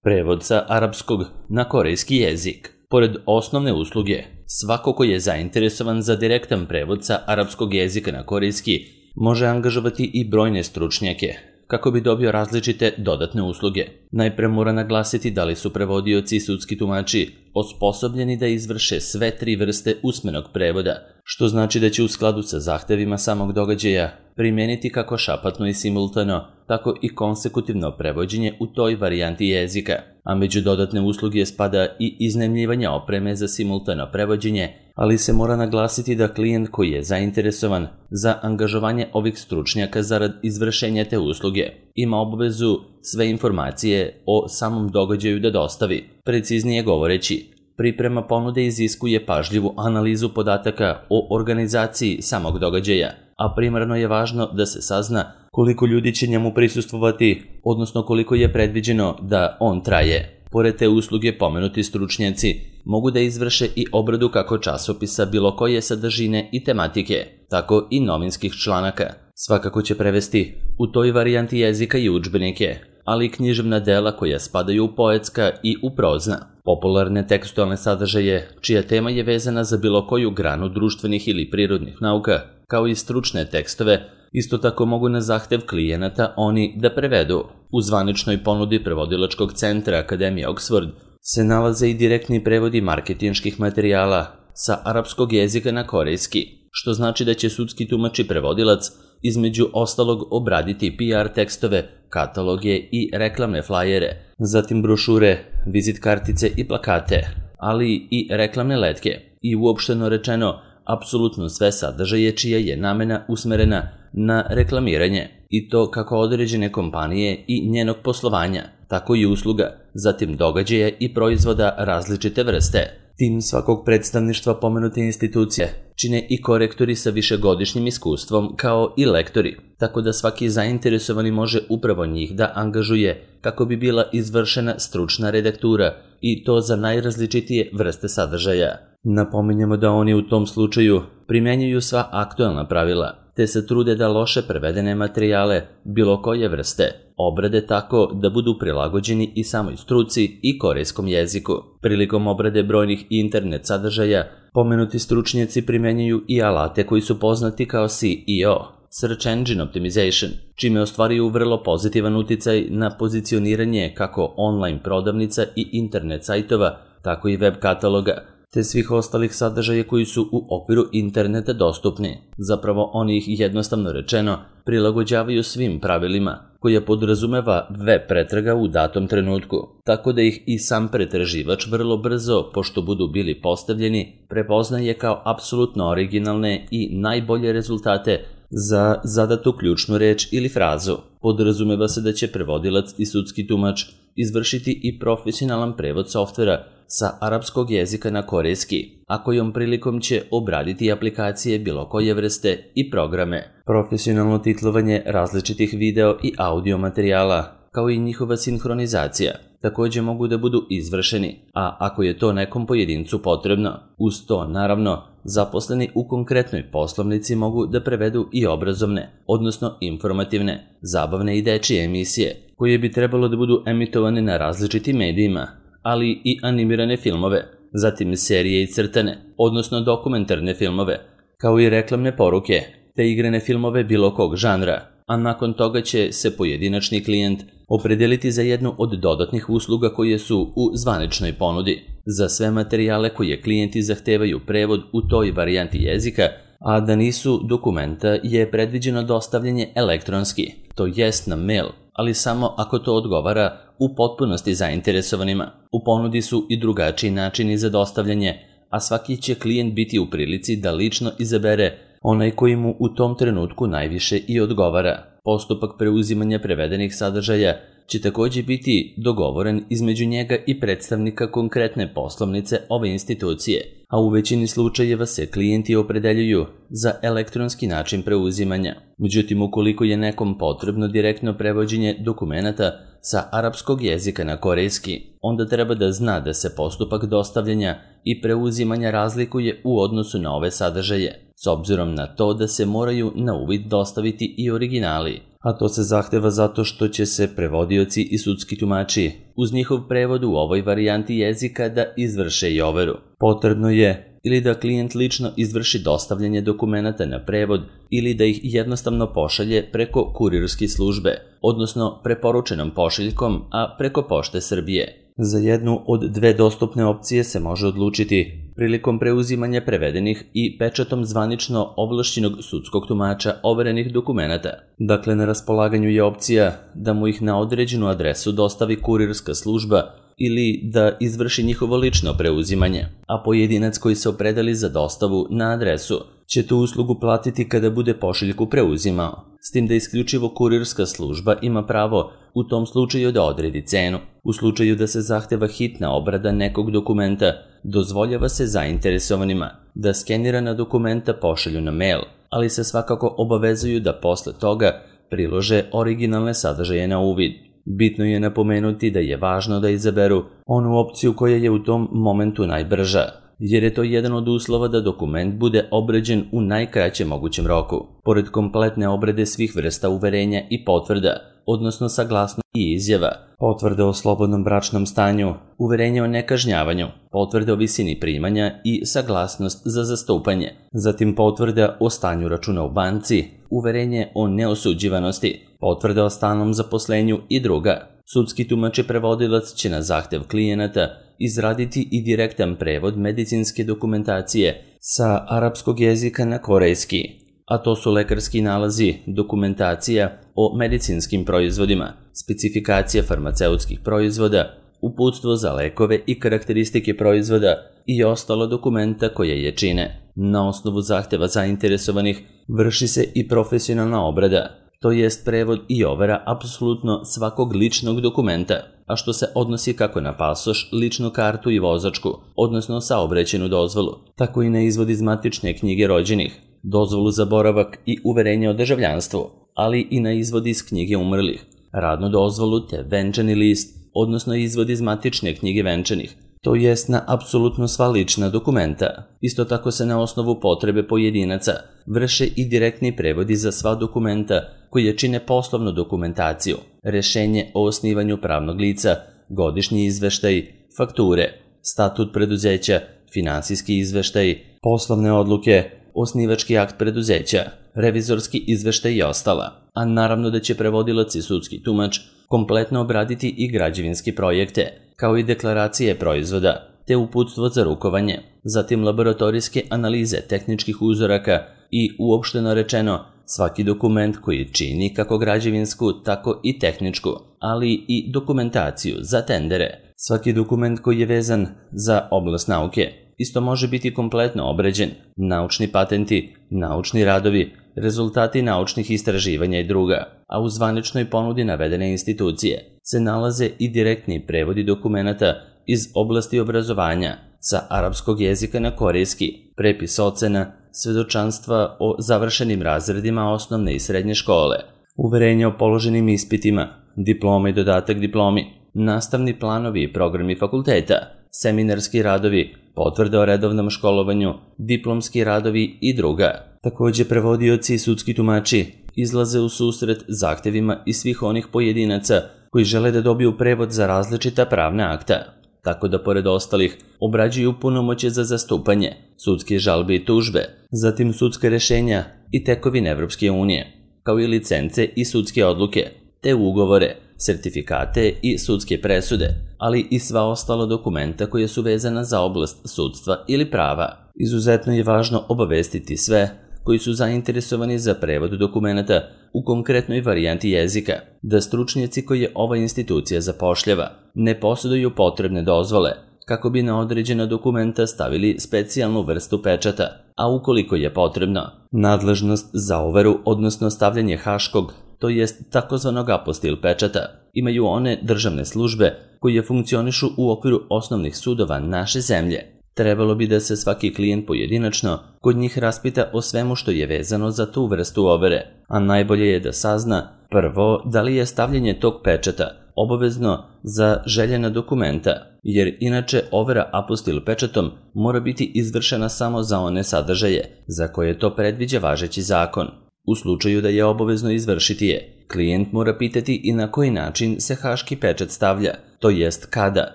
Prevod sa arapskog na korejski jezik. Pored osnovne usluge, svako ko je zainteresovan za direktan prevod sa arapskog jezika na korejski može angažovati i brojne stručnjake kako bi dobio različite dodatne usluge. Najpre mora naglasiti da li su prevodioci i sudski tumači osposobljeni da izvrše sve 3 vrste usmenog prevoda, što znači da će u skladu sa zahtevima samog događaja primeniti kako šapatno i simultano, tako i konsekutivno prevođenje u toj varijanti jezika, a među dodatne usluge spada i iznajmljivanje opreme za simultano prevođenje, ali se mora naglasiti da klijent koji je zainteresovan za angažovanje ovih stručnjaka zarad izvršenja te usluge ima obavezu sve informacije o samom događaju da dostavi. Preciznije govoreći, priprema ponude iziskuje pažljivu analizu podataka o organizaciji samog događaja, a primarno je važno da se sazna koliko ljudi će njemu prisustvovati, odnosno koliko je predviđeno da on traje. Pored te usluge pomenuti stručnjaci mogu da izvrše i obradu kako časopisa bilo koje sadržine i tematike, tako i novinskih članaka. Svakako će prevesti u toj varijanti jezika i udžbenike, ali i književna dela koja spadaju u poetska i u prozna, popularne tekstualne sadržaje čija tema je vezana za bilo koju granu društvenih ili prirodnih nauka, kao i stručne tekstove, isto tako mogu na zahtev klijenata oni da prevedu. U zvaničnoj ponudi prevodilačkog centra Akademije Oxford se nalaze i direktni prevodi marketinških materijala sa arapskog jezika na korejski, što znači da će sudski tumač i prevodilac između ostalog obraditi PR tekstove, kataloge i reklamne flajere, zatim brošure, vizit kartice i plakate, ali i reklamne letke i uopšteno rečeno apsolutno sve sadržaje čija je namena usmerena na reklamiranje, i to kako određene kompanije i njenog poslovanja, tako i usluga, zatim događaja i proizvoda različite vrste. Tim svakog predstavništva pomenute institucije čine i korektori sa višegodišnjim iskustvom kao i lektori, tako da svaki zainteresovani može upravo njih da angažuje kako bi bila izvršena stručna redaktura i to za najrazličitije vrste sadržaja. Napominjemo da oni u tom slučaju primjenjuju sva aktuelna pravila, te se trude da loše prevedene materijale bilo koje vrste obrade tako da budu prilagođeni i samoj struci i korejskom jeziku. Prilikom obrade brojnih internet sadržaja, pomenuti stručnjaci primjenjuju i alate koji su poznati kao SEO, Search Engine Optimization, čime ostvaruju vrlo pozitivan uticaj na pozicioniranje kako online prodavnica i internet sajtova, tako i web kataloga, te svih ostalih sadržaja koji su u okviru interneta dostupni. Zapravo oni ih jednostavno rečeno prilagođavaju svim pravilima koja podrazumeva web pretraga u datom trenutku, tako da ih i sam pretraživač vrlo brzo, pošto budu bili postavljeni, prepoznaje kao apsolutno originalne i najbolje rezultate za zadatu ključnu reč ili frazu. Podrazumeva se da će prevodilac i sudski tumač izvršiti i profesionalan prevod softvera sa arapskog jezika na korejski, a kojom prilikom će obraditi aplikacije bilo koje vrste i programe. Profesionalno titlovanje različitih video i audio materijala, kao i njihova sinhronizacija, također mogu da budu izvršeni, a ako je to nekom pojedincu potrebno, uz to naravno zaposleni u konkretnoj poslovnici mogu da prevedu i obrazovne, odnosno informativne, zabavne i dečije emisije, koje bi trebalo da budu emitovane na različitim medijima, ali i animirane filmove, zatim serije i crtane, odnosno dokumentarne filmove, kao i reklamne poruke, te igrane filmove bilo kog žanra, a nakon toga će se pojedinačni klijent opredeliti za jednu od dodatnih usluga koje su u zvaničnoj ponudi. Za sve materijale koje klijenti zahtevaju prevod u toj varijanti jezika, a da nisu dokumenta, je predviđeno dostavljanje elektronski, to jest na mail, ali samo ako to odgovara u potpunosti zainteresovanima. U ponudi su i drugačiji načini za dostavljanje, a svaki će klijent biti u prilici da lično izabere onaj koji mu u tom trenutku najviše i odgovara. Postupak preuzimanja prevedenih sadržaja će također biti dogovoren između njega i predstavnika konkretne poslovnice ove institucije, a u većini slučajeva se klijenti opredeljuju za elektronski način preuzimanja. Međutim, ukoliko je nekom potrebno direktno prevođenje dokumenata sa arapskog jezika na korejski, onda treba da zna da se postupak dostavljanja i preuzimanja razlikuje u odnosu na ove sadržaje, s obzirom na to da se moraju na uvid dostaviti i originali. a to se zahteva zato što će se prevodioci i sudski tumači uz njihov prevod u ovoj varijanti jezika da izvrše i overu. Potrebno je ili da klijent lično izvrši dostavljanje dokumenata na prevod ili da ih jednostavno pošalje preko kurirske službe, odnosno preporučenom pošiljkom, a preko Pošte Srbije. Za jednu od dve dostupne opcije se može odlučiti prilikom preuzimanja prevedenih i pečatom zvanično ovlašćenog sudskog tumača overenih dokumenata. Dakle, na raspolaganju je opcija da mu ih na određenu adresu dostavi kurirska služba ili da izvrši njihovo lično preuzimanje, a pojedinac koji se opredeli za dostavu na adresu će tu uslugu platiti kada bude pošiljku preuzimao, s tim da isključivo kurirska služba ima pravo u tom slučaju da odredi cenu. U slučaju da se zahteva hitna obrada nekog dokumenta, dozvoljava se zainteresovanima da skenirana dokumenta pošalju na mail, ali se svakako obavezuju da posle toga prilože originalne sadržaje na uvid. Bitno je napomenuti da je važno da izaberu onu opciju koja je u tom momentu najbrža, jer je to jedan od uslova da dokument bude obrađen u najkraćem mogućem roku. Pored kompletne obrade svih vrsta uverenja i potvrda, odnosno saglasnosti i izjava, potvrde o slobodnom bračnom stanju, uverenje o nekažnjavanju, potvrde o visini primanja i saglasnost za zastupanje, zatim potvrda o stanju računa u banci, uverenje o neosuđivanosti, potvrda o stalnom zaposlenju i druga. Sudski tumač i prevodilac će na zahtev klijenata izraditi i direktan prevod medicinske dokumentacije sa arapskog jezika na korejski, a to su lekarski nalazi, dokumentacija o medicinskim proizvodima, specifikacija farmaceutskih proizvoda, uputstvo za lekove i karakteristike proizvoda i ostala dokumenta koja je čine. Na osnovu zahteva zainteresovanih vrši se i profesionalna obrada, to jest prevod i overa apsolutno svakog ličnog dokumenta, a što se odnosi kako na pasoš, ličnu kartu i vozačku, odnosno saobraćajnu dozvolu, tako i na izvod iz matične knjige rođenih, dozvolu za boravak i uverenje o državljanstvu, ali i na izvod iz knjige umrlih, radnu dozvolu te venčani list, odnosno izvod iz matične knjige venčanih, to jest na apsolutno sva lična dokumenta. Isto tako se na osnovu potrebe pojedinaca vrše i direktni prevodi za sva dokumenta koje čine poslovnu dokumentaciju, rešenje o osnivanju pravnog lica, godišnji izveštaj, fakture, statut preduzeća, finansijski izveštaj, poslovne odluke, osnivački akt preduzeća, revizorski izveštaj i ostala. A naravno da će prevodilac i sudski tumač kompletno obraditi i građevinske projekte, kao i deklaracije proizvoda, te uputstvo za rukovanje, zatim laboratorijske analize tehničkih uzoraka i, uopšteno rečeno, svaki dokument koji čini kako građevinsku, tako i tehničku, ali i dokumentaciju za tendere. Svaki dokument koji je vezan za oblast nauke isto može biti kompletno obrađen, naučni patenti, naučni radovi, rezultati naučnih istraživanja i druga, a u zvaničnoj ponudi navedene institucije se nalaze i direktni prevodi dokumenata iz oblasti obrazovanja sa arapskog jezika na korejski, prepis ocena, svedočanstva o završenim razredima osnovne i srednje škole, uverenje o položenim ispitima, diploma i dodatak diplomi, nastavni planovi i programi fakulteta, seminarski radovi, potvrde o redovnom školovanju, diplomski radovi i druga. Također prevodioci i sudski tumači izlaze u susret zahtevima i svih onih pojedinaca koji žele da dobiju prevod za različita pravna akta, tako da pored ostalih obrađuju punomoćje za zastupanje, sudske žalbe i tužbe, zatim sudska rešenja i tekovine Evropske unije, kao i licence i sudske odluke, te ugovore, sertifikate i sudske presude, ali i sva ostala dokumenta koja su vezana za oblast sudstva ili prava. Izuzetno je važno obavestiti sve koji su zainteresovani za prevod dokumenta u konkretnoj varijanti jezika, da stručnjaci koje ova institucija zapošljava ne posjeduju potrebne dozvole kako bi na određena dokumenta stavili specijalnu vrstu pečata, a ukoliko je potrebno, nadležnost za overu, odnosno stavljanje haškog, to jest takozvanog apostil pečata, imaju one državne službe koje funkcionišu u okviru osnovnih sudova naše zemlje. Trebalo bi da se svaki klijent pojedinačno kod njih raspita o svemu što je vezano za tu vrstu overe, a najbolje je da sazna prvo da li je stavljanje tog pečata obavezno za željena dokumenta, jer inače overa apostil pečatom mora biti izvršena samo za one sadržaje za koje to predviđa važeći zakon. U slučaju da je obavezno izvršiti je, klijent mora pitati i na koji način se haški pečat stavlja, to jest kada,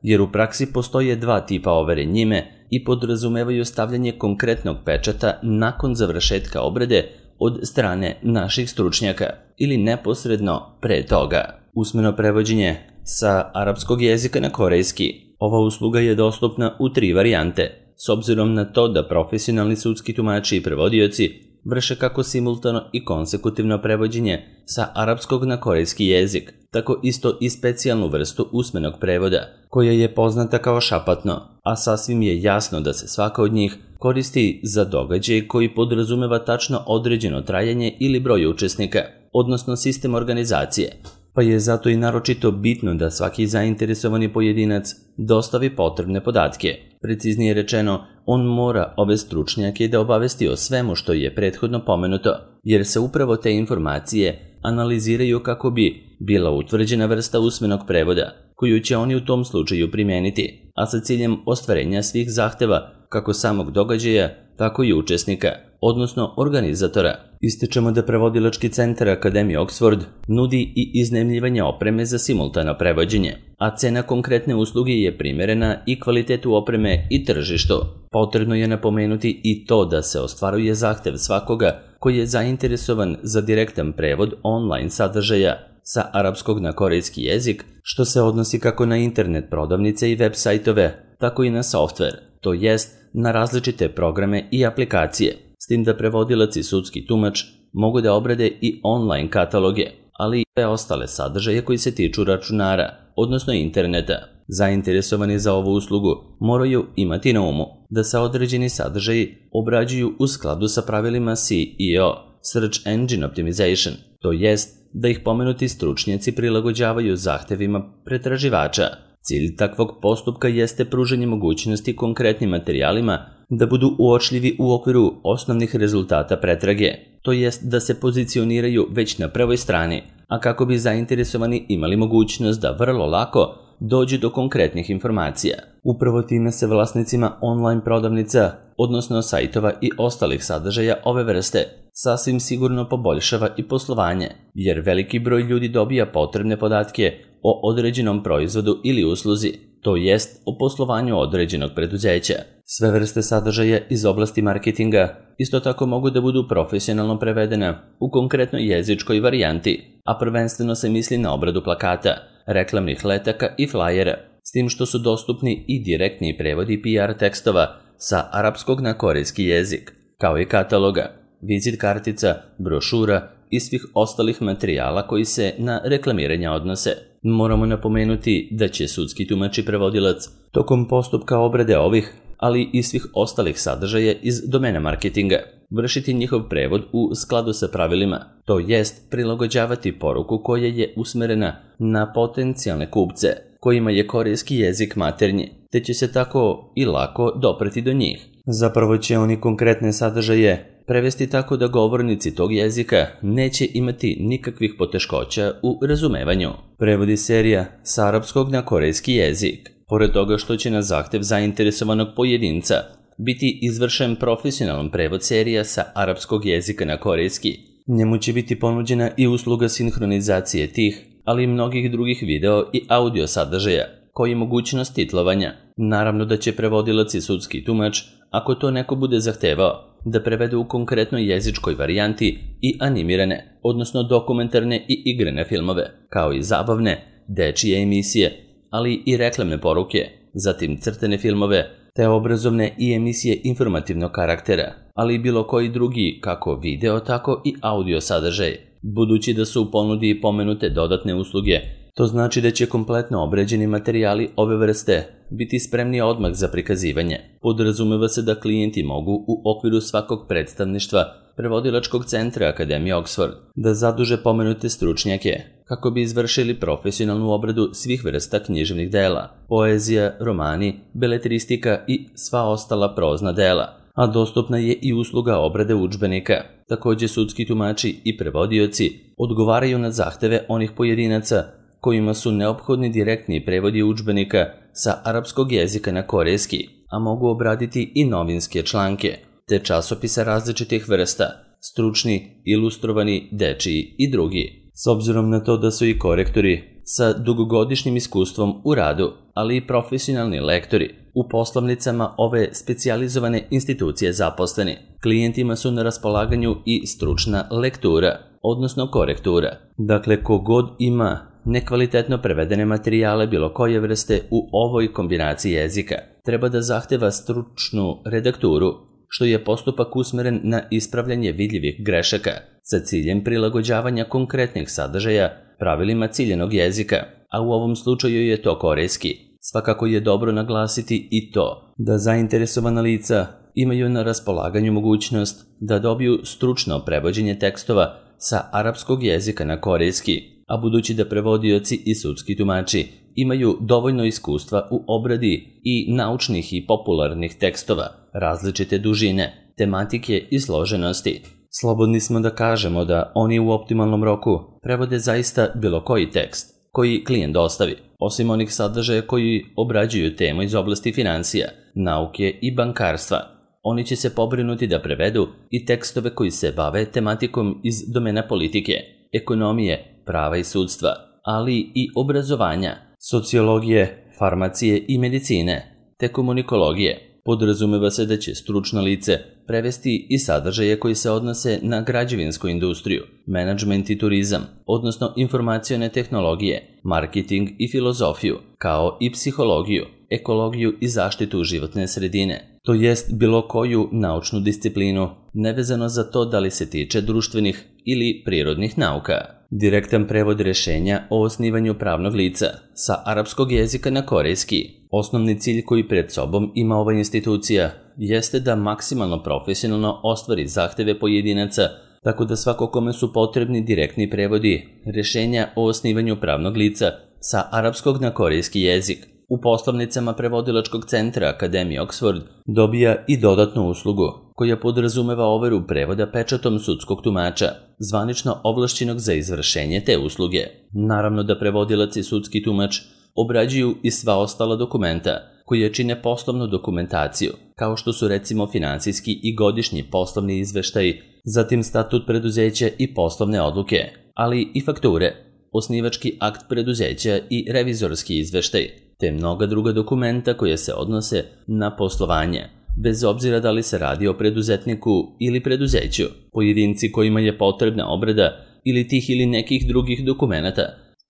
jer u praksi postoje dva tipa overe njime i podrazumevaju stavljanje konkretnog pečata nakon završetka obrade od strane naših stručnjaka ili neposredno pre toga. Usmeno prevođenje sa arapskog jezika na korejski. Ova usluga je dostupna u 3 varijante, s obzirom na to da profesionalni sudski tumači i prevodioci vrše kako simultano i konsekutivno prevođenje sa arapskog na korejski jezik, tako isto i specijalnu vrstu usmenog prevoda, koja je poznata kao šapatno, a sasvim je jasno da se svaka od njih koristi za događaj koji podrazumeva tačno određeno trajanje ili broj učesnika, odnosno sistem organizacije, pa je zato i naročito bitno da svaki zainteresovani pojedinac dostavi potrebne podatke. Preciznije rečeno, on mora ove stručnjake da obavesti o svemu što je prethodno pomenuto, jer se upravo te informacije analiziraju kako bi bila utvrđena vrsta usmenog prevoda, koju će oni u tom slučaju primijeniti, a sa ciljem ostvarenja svih zahteva kako samog događaja, tako i učesnika, odnosno organizatora. Ističemo da prevodilački centar Akademije Oxford nudi i iznajmljivanje opreme za simultano prevođenje, a cena konkretne usluge je primerena i kvalitetu opreme i tržištu. Potrebno je napomenuti i to da se ostvaruje zahtev svakoga koji je zainteresovan za direktan prevod online sadržaja sa arapskog na korejski jezik, što se odnosi kako na internet prodavnice i web sajtove, tako i na softver, to jest na različite programe i aplikacije, s tim da prevodilac i sudski tumač mogu da obrade i online kataloge, ali i sve ostale sadržaje koji se tiču računara, odnosno interneta. Zainteresovani za ovu uslugu moraju imati na umu da se određeni sadržaji obrađuju u skladu sa pravilima SEO, Search Engine Optimization, to jest da ih pomenuti stručnjaci prilagođavaju zahtevima pretraživača. Cilj takvog postupka jeste pružanje mogućnosti konkretnim materijalima da budu uočljivi u okviru osnovnih rezultata pretrage, to jest da se pozicioniraju već na prvoj strani, a kako bi zainteresovani imali mogućnost da vrlo lako dođu do konkretnih informacija. Upravo time se vlasnicima online prodavnica, odnosno sajtova i ostalih sadržaja ove vrste, sasvim sigurno poboljšava i poslovanje, jer veliki broj ljudi dobija potrebne podatke o određenom proizvodu ili usluzi, to jest o poslovanju određenog preduzeća. Sve vrste sadržaja iz oblasti marketinga isto tako mogu da budu profesionalno prevedene u konkretnoj jezičkoj varijanti, a prvenstveno se misli na obradu plakata, reklamnih letaka i flajera, s tim što su dostupni i direktni prevodi PR tekstova sa arapskog na korejski jezik, kao i kataloga, vizit kartica, brošura i svih ostalih materijala koji se na reklamiranje odnose. Moramo napomenuti da će sudski tumač i prevodilac tokom postupka obrade ovih, ali i svih ostalih sadržaja iz domena marketinga, vršiti njihov prevod u skladu sa pravilima, to jest prilagođavati poruku koja je usmerena na potencijalne kupce, kojima je korejski jezik maternji, te će se tako i lako dopreti do njih. Zapravo će oni konkretne sadržaje prevesti tako da govornici tog jezika neće imati nikakvih poteškoća u razumevanju. Prevodi serija sa arapskog na korejski jezik. Pored toga što će na zahtev zainteresovanog pojedinca biti izvršen profesionalan prevod serija sa arapskog jezika na korejski, njemu će biti ponuđena i usluga sinhronizacije tih, ali i mnogih drugih video i audio sadržaja, koji mogućnost titlovanja. Naravno da će prevodilac i sudski tumač, ako to neko bude zahtevao, da prevede u konkretnoj jezičkoj varijanti i animirane, odnosno dokumentarne i igrane filmove, kao i zabavne, dečije emisije, ali i reklamne poruke, zatim crtene filmove, te obrazovne i emisije informativnog karaktera, ali i bilo koji drugi, kako video, tako i audio sadržaj. Budući da su u ponudi pomenute dodatne usluge, to znači da će kompletno obrađeni materijali ove vrste biti spremni odmah za prikazivanje. Podrazumeva se da klijenti mogu u okviru svakog predstavništva prevodilačkog centra Akademije Oxford da zaduže pomenute stručnjake kako bi izvršili profesionalnu obradu svih vrsta književnih dela, poezija, romani, beletristika i sva ostala prozna dela, a dostupna je i usluga obrade udžbenika. Također sudski tumači i prevodioci odgovaraju na zahteve onih pojedinaca kojima su neophodni direktni prevodi udžbenika sa arapskog jezika na korejski, a mogu obraditi i novinske članke, te časopisa različitih vrsta, stručni, ilustrovani, dečiji i drugi. S obzirom na to da su i korektori sa dugogodišnjim iskustvom u radu, ali i profesionalni lektori u poslovnicama ove specijalizovane institucije zaposleni, klijentima su na raspolaganju i stručna lektura, odnosno korektura. Dakle, kogod ima nekvalitetno prevedene materijale bilo koje vrste u ovoj kombinaciji jezika, treba da zahteva stručnu redakturu, što je postupak usmeren na ispravljanje vidljivih grešaka sa ciljem prilagođavanja konkretnih sadržaja pravilima ciljenog jezika, a u ovom slučaju je to korejski. Svakako je dobro naglasiti i to da zainteresovana lica imaju na raspolaganju mogućnost da dobiju stručno prevođenje tekstova sa arapskog jezika na korejski, a budući da prevodioci i sudski tumači imaju dovoljno iskustva u obradi i naučnih i popularnih tekstova različite dužine, tematike i složenosti, slobodni smo da kažemo da oni u optimalnom roku prevode zaista bilo koji tekst koji klijent dostavi, osim onih sadržaja koji obrađuju temu iz oblasti financija, nauke i bankarstva. Oni će se pobrinuti da prevedu i tekstove koji se bave tematikom iz domena politike, ekonomije, prava i sudstva, ali i obrazovanja, sociologije, farmacije i medicine, te komunikologije. Podrazumeva se da će stručno lice prevesti i sadržaje koji se odnose na građevinsku industriju, menadžment i turizam, odnosno informacione tehnologije, marketing i filozofiju, kao i psihologiju, ekologiju i zaštitu životne sredine, to jest bilo koju naučnu disciplinu, nevezano za to da li se tiče društvenih ili prirodnih nauka. Direktan prevod rešenja o osnivanju pravnog lica sa arapskog jezika na korejski. Osnovni cilj koji pred sobom ima ova institucija jeste da maksimalno profesionalno ostvari zahteve pojedinaca, tako da svako kome su potrebni direktni prevodi rešenja o osnivanju pravnog lica sa arapskog na korejski jezik u poslovnicama prevodilačkog centra Akademije Oxford dobija i dodatnu uslugu koja podrazumeva overu prevoda pečatom sudskog tumača, zvanično ovlašćenog za izvršenje te usluge. Naravno da prevodilac i sudski tumač obrađuju i sva ostala dokumenta koje čine poslovnu dokumentaciju, kao što su recimo finansijski i godišnji poslovni izveštaji, zatim statut preduzeća i poslovne odluke, ali i fakture, osnivački akt preduzeća i revizorski izveštaj, te mnoga druga dokumenta koje se odnose na poslovanje, bez obzira da li se radi o preduzetniku ili preduzeću. Pojedinci kojima je potrebna obrada ili tih ili nekih drugih dokumenata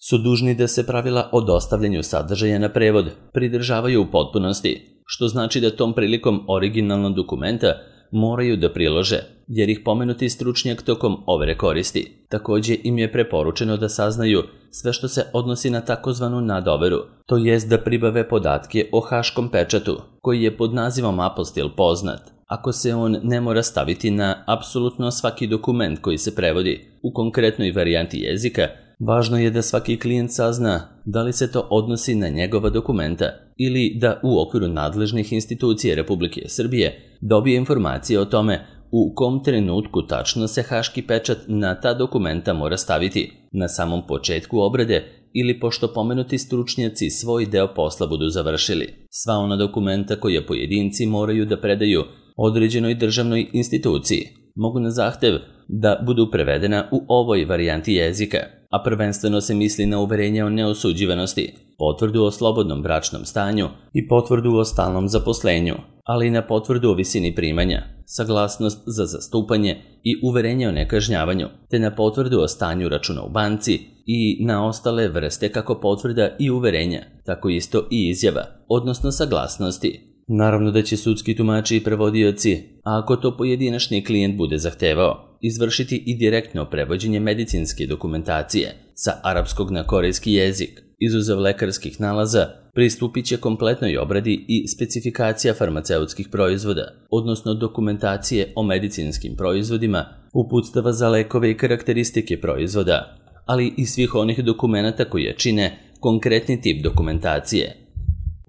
su dužni da se pravila o dostavljanju sadržaja na prevod pridržavaju u potpunosti, što znači da tom prilikom originalnog dokumenta moraju da prilože, jer ih pomenuti stručnjak tokom overe koristi. Takođe im je preporučeno da saznaju sve što se odnosi na takozvanu nadoveru, to jest da pribave podatke o haškom pečatu, koji je pod nazivom apostil poznat, ako se on ne mora staviti na apsolutno svaki dokument koji se prevodi u konkretnoj varijanti jezika. Važno je da svaki klijent sazna da li se to odnosi na njegova dokumenta ili da u okviru nadležnih institucija Republike Srbije dobije informacije o tome u kom trenutku tačno se haški pečat na ta dokumenta mora staviti, na samom početku obrade ili pošto pomenuti stručnjaci svoj deo posla budu završili. Sva ona dokumenta koje pojedinci moraju da predaju određenoj državnoj instituciji mogu na zahtev da budu prevedena u ovoj varijanti jezika, a prvenstveno se misli na uverenje o neosuđivanosti, potvrdu o slobodnom bračnom stanju i potvrdu o stalnom zaposlenju, ali i na potvrdu o visini primanja, saglasnost za zastupanje i uverenje o nekažnjavanju, te na potvrdu o stanju računa u banci i na ostale vrste kako potvrda i uverenja, tako isto i izjava, odnosno saglasnosti. Naravno da će sudski tumači i prevodioci, a ako to pojedinačni klijent bude zahtevao, izvršiti i direktno prevođenje medicinske dokumentacije sa arapskog na korejski jezik. Izuzev lekarskih nalaza, pristupit će kompletnoj obradi i specifikacija farmaceutskih proizvoda, odnosno dokumentacije o medicinskim proizvodima, uputstava za lekove i karakteristike proizvoda, ali i svih onih dokumenata koje čine konkretni tip dokumentacije.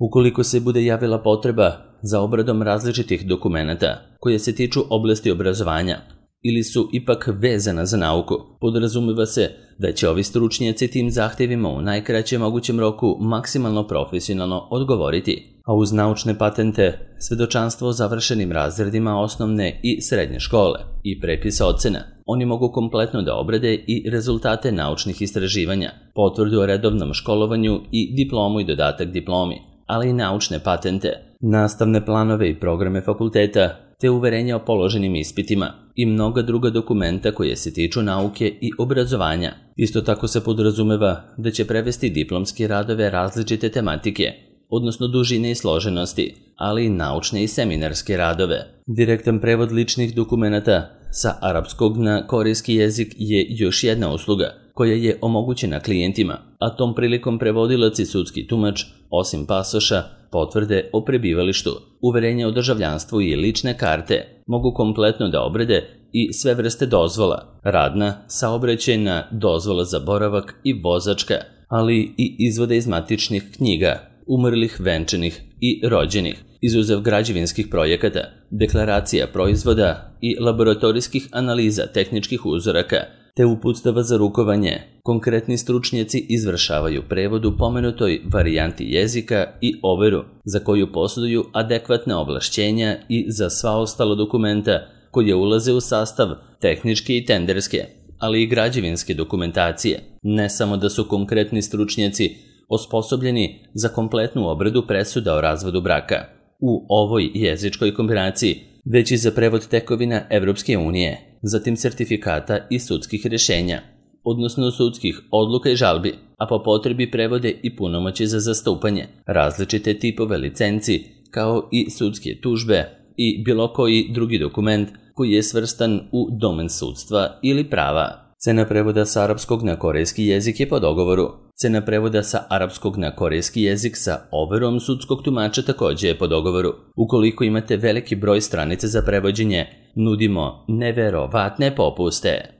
Ukoliko se bude javila potreba za obradom različitih dokumenata koje se tiču oblasti obrazovanja, ili su ipak vezana za nauku. Podrazumeva se da će ovi stručnjaci tim zahtjevima u najkraćem mogućem roku maksimalno profesionalno odgovoriti, a uz naučne patente, svedočanstvo o završenim razredima osnovne i srednje škole i prepis ocena, oni mogu kompletno da obrade i rezultate naučnih istraživanja, potvrdu o redovnom školovanju i diplomu i dodatak diplomi, ali i naučne patente, nastavne planove i programe fakulteta, te uverenja o položenim ispitima i mnoga druga dokumenta koje se tiču nauke i obrazovanja. Isto tako se podrazumeva da će prevesti diplomske radove različite tematike, odnosno dužine i složenosti, ali i naučne i seminarske radove. Direktan prevod ličnih dokumenata sa arapskog na korejski jezik je još jedna usluga koja je omogućena klijentima, a tom prilikom prevodilac i sudski tumač, osim pasoša, potvrde o prebivalištu, uverenja o državljanstvu i lične karte, mogu kompletno da obrade i sve vrste dozvola, radna, saobraćajna, dozvola za boravak i vozačka, ali i izvode iz matičnih knjiga, umrlih, venčanih i rođenih, izuzev građevinskih projekata, deklaracija proizvoda i laboratorijskih analiza tehničkih uzoraka, te uputstava za rukovanje. Konkretni stručnjaci izvršavaju prevod u pomenutoj varijanti jezika i overu, za koju posjeduju adekvatna ovlašćenja i za sva ostala dokumenta koje ulaze u sastav tehničke i tenderske, ali i građevinske dokumentacije. Ne samo da su konkretni stručnjaci osposobljeni za kompletnu obradu presuda o razvodu braka u ovoj jezičkoj kombinaciji, već i za prevod tekovina Evropske unije, zatim sertifikata i sudskih rješenja, odnosno sudskih odluka i žalbi, a po potrebi prevode i punomoći za zastupanje, različite tipove licenci, kao i sudske tužbe i bilo koji drugi dokument koji je svrstan u domen sudstva ili prava. Cena prevoda sa arapskog na korejski jezik je po dogovoru. Cena prevoda sa arapskog na korejski jezik sa overom sudskog tumača također je po dogovoru. Ukoliko imate veliki broj stranica za prevođenje, nudimo neverovatne popuste.